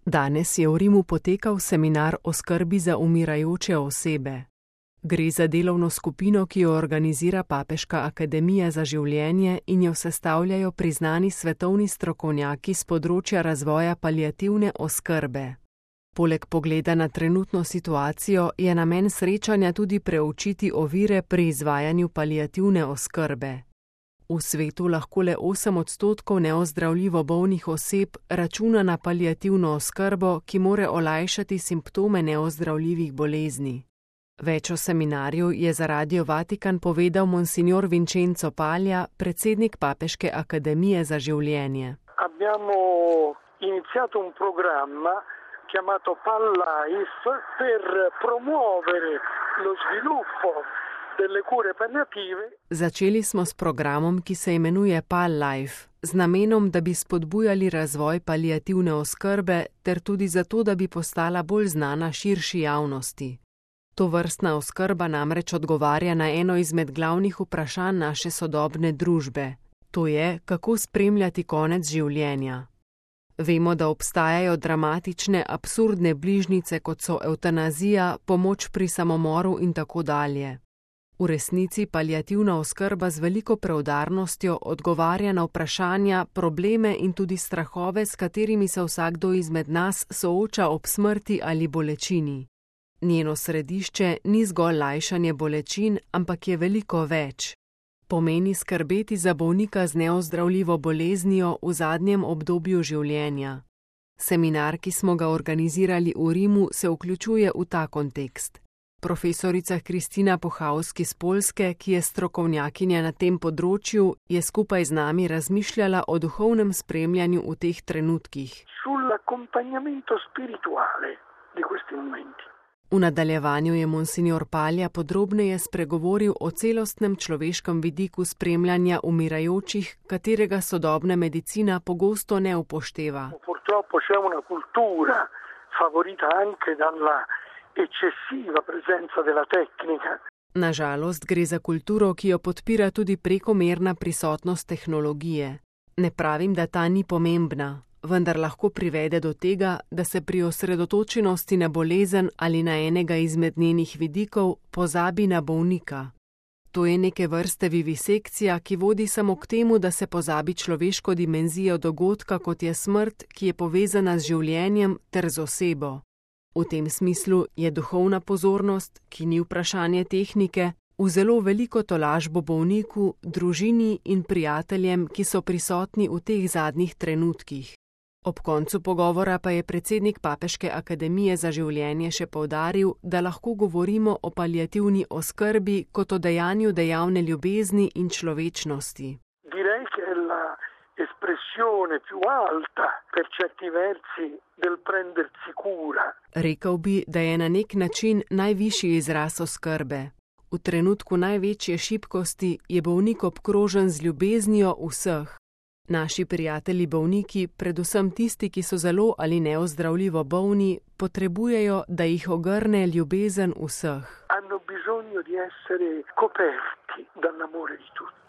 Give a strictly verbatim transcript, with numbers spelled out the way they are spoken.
Danes je v Rimu potekal seminar o skrbi za umirajoče osebe. Gre za delovno skupino, ki jo organizira Papeška akademija za življenje in jo sestavljajo priznani svetovni strokovnjaki s področja razvoja paliativne oskrbe. Poleg pogleda na trenutno situacijo je namen srečanja tudi preučiti ovire pri izvajanju paliativne oskrbe. V svetu lahko le osem odstotkov neozdravljivo bolnih oseb računa na paliativno oskrbo, ki more olajšati simptome neozdravljivih bolezni. Več o seminarju je za Radio Vatikan povedal monsignor Vincenzo Paglia, predsednik Papeške akademije za življenje. Abbiamo iniziato un programma chiamato PalLife per promuovere lo sviluppo delle cure palliative. Začeli smo s programom, ki se imenuje PalLife, z namenom, da bi spodbujali razvoj paliativne oskrbe ter tudi zato, da bi postala bolj znana širši javnosti. Tovrstna oskrba namreč odgovarja na eno izmed glavnih vprašanj naše sodobne družbe. To je, kako spremljati konec življenja. Vemo, da obstajajo dramatične, absurdne bližnjice, kot so evtanazija, pomoč pri samomoru in tako dalje. V resnici paliativna oskrba z veliko preudarnostjo odgovarja na vprašanja, probleme in tudi strahove, s katerimi se vsakdo izmed nas sooča ob smrti ali bolečini. Njeno središče ni zgolj lajšanje bolečin, ampak je veliko več. Pomeni skrbeti za bolnika z neozdravljivo boleznijo v zadnjem obdobju življenja. Seminar, ki smo ga organizirali v Rimu, se vključuje v ta kontekst. Profesorica Kristina Puchalski z Poljske, ki je strokovnjakinja na tem področju, je skupaj z nami razmišljala o duhovnem spremljanju v teh trenutkih. Sull'accompagnamento spirituale di questi momenti. V nadaljevanju je monsignor Paglia podrobneje spregovoril o celostnem človeškem vidiku spremljanja umirajočih, katerega sodobna medicina pogosto ne upošteva. Purtroppo c'è una cultura favorita anche dalla eccessiva presenza della tecnica. Na žalost gre za kulturo, ki jo podpira tudi prekomerna prisotnost tehnologije. Ne pravim, da ta ni pomembna, vendar lahko privede do tega, da se pri osredotočenosti na bolezen ali na enega izmed njenih vidikov pozabi na bolnika. To je neke vrste vivisekcija, ki vodi samo k temu, da se pozabi človeško dimenzijo dogodka, kot je smrt, ki je povezana z življenjem ter z osebo. V tem smislu je duhovna pozornost, ki ni vprašanje tehnike, v zelo veliko tolažbo bolniku, družini in prijateljem, ki so prisotni v teh zadnjih trenutkih. Ob koncu pogovora pa je predsednik Papeške akademije za življenje še poudaril, da lahko govorimo o paliativni oskrbi kot o dejanju dejavne ljubezni in človečnosti. Direi che è la espressione più alta per certi versi del prendersi cura. Rekel bi, da je na nek način najvišji izraz oskrbe. V trenutku največje šibkosti je bolnik obkrožen z ljubeznijo vseh. Naši prijatelji bolniki, predvsem tisti, ki so zelo ali neozdravljivo bolni, potrebujejo, da jih ogrne ljubezen vseh. Hanno bisogno di essere coperti dall'amore di tutti.